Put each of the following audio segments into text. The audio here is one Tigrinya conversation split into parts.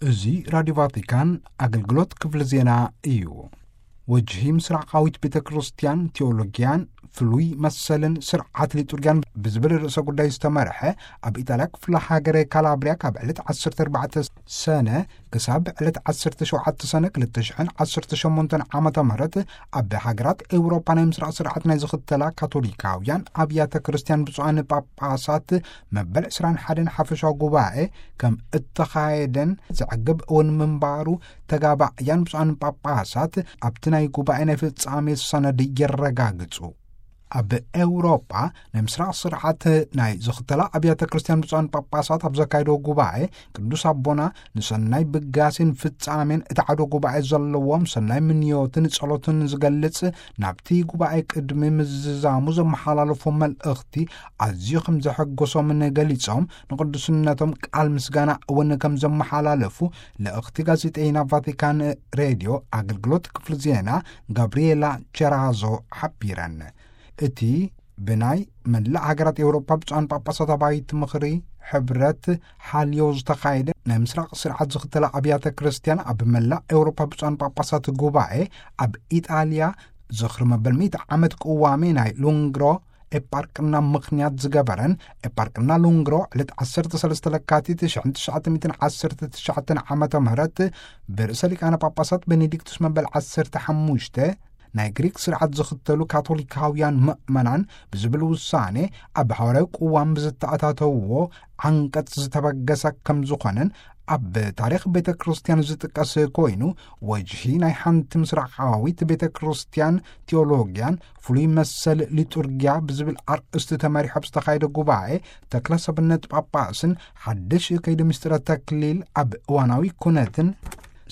እዚ ራዲዮ ቫቲካን ኣገልግሎት ክፍሊ ዜና እዩ። ወጅሂ ምስራቃዊት ቤተ ክርስቲያን፣ ቴዎሎጊያን ፍሉይ መሰልን ስርዓት ሊጡርጊያን ብዝብል ርእሰ ጉዳይ ዝተመርሐ፣ ኣብ ኢጣልያ ክፍለ ሃገረ ካላብሪያ ካብ ዕለት ዓሰርተ ኣርባዕተ ሰነ ክሳብ ዕለት ዓሰርተ ሸውዓተ ሰነ ክልተ ሽሕን ዓሰርተ ሸሞንተን ዓመተ ምህረት ኣብ ሃገራት ኤውሮጳ ናይ ምስራቕ ስርዓት ናይ ዝኽተላ ካቶሊካውያን ኣብያተ ክርስቲያን ብፁዓን ጳጳሳት መበል ዕስራን ሓደን ሓፈሻዊ ጉባኤ ከም እተኻየደን ዘዕግብ እውን ምንባሩ ተጋባእያን ብፁዓን ጳጳሳት ኣብቲ ናይ ጉባኤ ናይ ፍጻሜ ሰነድ የረጋግጹ። ኣብ ኤውሮጳ ናይ ምስራቕ ስርዓት ናይ ዝኽተላ ኣብያተ ክርስቲያን ብፁዓን ጳጳሳት ኣብ ዘካየዶ ጉባኤ ቅዱስ ኣቦና ንሰናይ ብጋሴን ፍጻሜን እቲ ዓዶ ጉባኤ ዘለዎም ሰናይ ምንዮትን ጸሎትን ዝገልጽ ናብቲ ጉባኤ ቅድሚ ምዝዛሙ ዘመሓላለፎ መልእኽቲ ኣዝዩ ከም ዘሐጎሶምን ገሊጾም ንቅዱስነቶም ቃል ምስጋና እውን ከም ዘመሓላለፉ ልእኽቲ ጋዜጠይና ቫቲካን ሬድዮ ኣገልግሎት ክፍሊ ዜና ጋብሪኤላ ቸራዞ ሓቢረን። እቲ ብናይ መላእ ሃገራት ኤውሮፓ ብፁዓን ጳጳሳት ኣባይቲ ምኽሪ ሕብረት ሓልዮ ዝተኻየደ ናይ ምስራቕ ስርዓት ዝኽተላ ኣብያተ ክርስቲያን ኣብ መላእ ኤውሮፓ ብፁዓን ጳጳሳት ጉባኤ ኣብ ኢጣልያ ዝኽሪ መበል ሚእቲ ዓመት ቅዋሜ ናይ ሉንግሮ ኤጳርቅና ምኽንያት ዝገበረን ኤጳርቅና ሉንግሮ ዕለት ዓሰርተ ሰለስተ ለካቲት ሽሕን ትሽዓተ ሚእትን ዓሰርተ ትሽዓተን ዓመተ ምህረት ብርእሰ ሊቃነ ጳጳሳት ቤኔዲክቱስ መበል ዓሰርተ ሓሙሽተ ናይ ግሪክ ስርዓት ዝኽተሉ ካቶሊካውያን ምእመናን ብዝብል ውሳኔ ኣብ ሃዋርያዊ ቅዋም ብዝተኣታተውዎ ዓንቀጽ ዝተበገሰ ከም ዝኾነን ኣብ ታሪኽ ቤተ ክርስቲያን ዝጥቀስ ኮይኑ፣ ወጅሂ ናይ ሓንቲ ምስራቃዊት ቤተ ክርስቲያን ቴዎሎጊያን ፍሉይ መሰል ሊጡርጊያ ብዝብል ኣርእስቲ ተመሪሑ ኣብ ዝተኻየደ ጉባኤ ተክለ ሰብነት ጳጳስን ሓድሽ ከይዲ ምስጢረ ተክሊል ኣብ እዋናዊ ኩነትን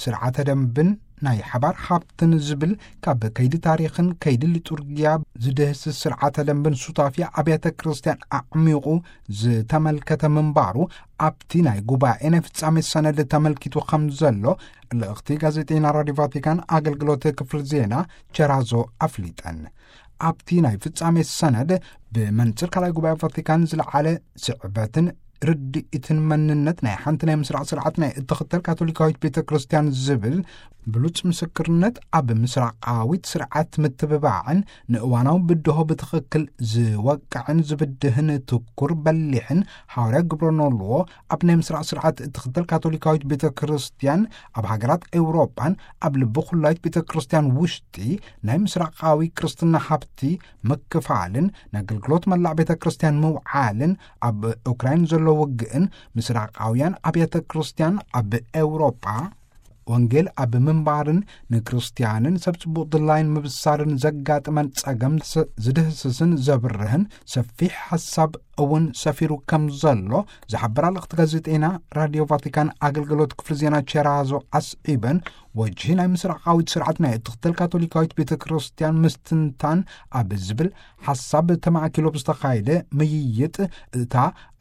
ስርዓተ ደንብን ናይ ሓባር ሃብትን ዝብል ካብ ከይዲ ታሪኽን ከይዲ ሊጡርጊያ ዝድህስስ ስርዓተ ደንብን ሱታፊ ኣብያተ ክርስቲያን ኣዕሚቑ ዝተመልከተ ምንባሩ ኣብቲ ናይ ጉባኤ ናይ ፍጻሜ ሰነድ ተመልኪቱ ከም ዘሎ ልእኽቲ ጋዜጠይና ራዲዮ ቫቲካን ኣገልግሎት ክፍል ዜና ቸራዞ ኣፍሊጠን። ኣብቲ ናይ ፍጻሜ ሰነድ ብመንጽር ካልኣይ ጉባኤ ቫቲካን ዝለዓለ ስዕበትን ርድኢትን መንነት ናይ ሓንቲ ናይ ምስራቕ ስርዓት ናይ እትኽተል ካቶሊካዊት ቤተ ክርስቲያን ዝብል ብሉጽ ምስክርነት ኣብ ምስራቃዊት ስርዓት ምትብባዕን ንእዋናዊ ብድሆ ብትኽክል ዝወቅዕን ዝብድህን ትኩር በሊሕን ሃዋርያ ግብረ ኖልዎ ኣብ ናይ ምስራቕ ስርዓት እትኽተል ካቶሊካዊት ቤተ ክርስቲያን ኣብ ሃገራት ኤውሮጳን ኣብ ልቢ ኩላዊት ቤተ ክርስቲያን ውሽጢ ናይ ምስራቃዊ ክርስትና ሃብቲ ምክፋልን ንኣገልግሎት መላእ ቤተ ክርስቲያን ምውዓልን ኣብ ኡክራይን ዘሎ ውግእን ምስራቃውያን ኣብያተ ክርስቲያን ኣብ ኤውሮጳ ወንጌል ኣብ ምንባርን ንክርስቲያንን ሰብ ጽቡቕ ድላይን ምብሳርን ዘጋጥመን ጸገም ስ-፣ ዝድህስስን ዘብርህን ሰፊሕ ሓሳብ እውን ሰፊሩ ከም ዘሎ ዝሓበራ ልእኽቲ ጋዜጠይና ራዲዮ ቫቲካን ኣገልግሎት ክፍሊ ዜና ቸራዞ ኣስዒበን፣ ወጅሂ ናይ ምስራቃዊት ስርዓት ናይ እትኽተል ካቶሊካዊት ቤተ ክርስቲያን ምስትንታን ኣብ ዝብል ሓሳብ ተማእኪሎ ብዝተኻየደ ምይይጥ፣ እታ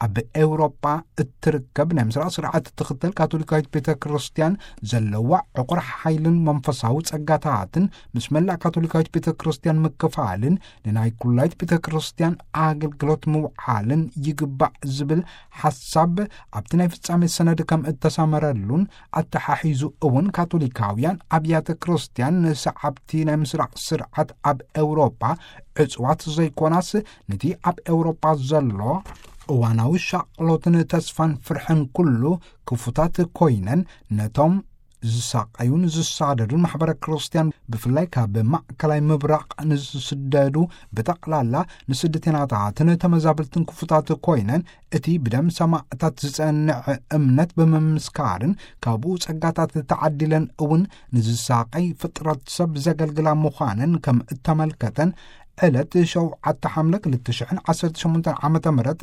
ኣብ ኤውሮጳ እትርከብ ናይ ምስራቅ ስርዓት እትኽተል ካቶሊካዊት ቤተ ክርስቲያን ዘለዋ ዕቑር ሓይልን መንፈሳዊ ጸጋታትን ምስ መላእ ካቶሊካዊት ቤተ ክርስቲያን ምክፋልን ንናይ ኩላይት ቤተ ክርስቲያን ኣገልግሎት ምውዓልን ይግባእ ዝብል ሓሳብ ኣብቲ ናይ ፍጻሜ ሰነድ ከም እተሰመረሉን ኣተሓሒዙ እውን ካቶሊካውያን ኣብያተ ክርስቲያን ንሰዓብቲ ናይ ምስራቅ ስርዓት ኣብ ኤውሮጳ ዕጽዋት ዘይኮናስ ነቲ ኣብ ኤውሮጳ ዘሎ እዋናዊ ሻቕሎትን ተስፋን ፍርሕን ኩሉ ክፉታት ኮይነን ነቶም ዝሳቐዩን ዝሳደዱን ማሕበረ ክርስቲያን ብፍላይ ካብ ማእከላይ ምብራቕ ንዝስደዱ ብጠቕላላ ንስደተኛታትን ተመዛበልትን ክፉታት ኮይነን እቲ ብደም ሰማእታት ዝጸንዕ እምነት ብምምስካርን ካብኡ ጸጋታት ተዓዲለን እውን ንዝሳቐይ ፍጥረት ሰብ ዘገልግላ ምዃነን ከም እተመልከተን ዕለት ሸውዓተ ሓምለ ክልተ ሽሕን ዓሰርተ ሸሞንተን ዓመተ ምህረት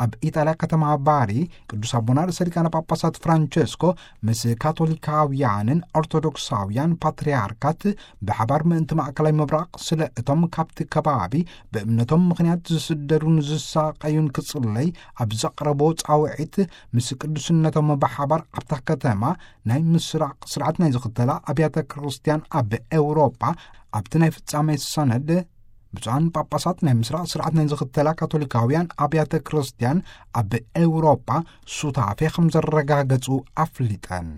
ኣብ ኢጣልያ ከተማ ባሪ ቅዱስ ኣቦና ርእሰ ሊቃነ ጳጳሳት ፍራንቸስኮ ምስ ካቶሊካውያንን ኦርቶዶክሳውያን ፓትርያርካት ብሓባር ምእንቲ ማእከላይ ምብራቕ ስለ እቶም ካብቲ ከባቢ ብእምነቶም ምኽንያት ዝስደዱን ዝሳቐዩን ክጽለይ ኣብ ዘቕረቦ ጻውዒት ምስ ቅዱስነቶም ብሓባር ኣብታ ከተማ ናይ ምስራቕ ስርዓት ናይ ዝኽተላ ኣብያተ ክርስቲያን ኣብ ኤውሮጳ ኣብቲ ናይ ፍጻሜ ሰነድ ብፁዓን ጳጳሳት ናይ ምስራቕ ስርዓት ናይ ዝኽተላ ካቶሊካውያን ኣብያተ ክርስቲያን ኣብ ኤውሮጳ ሱታፌ ከም ዘረጋገጹ ኣፍሊጠን።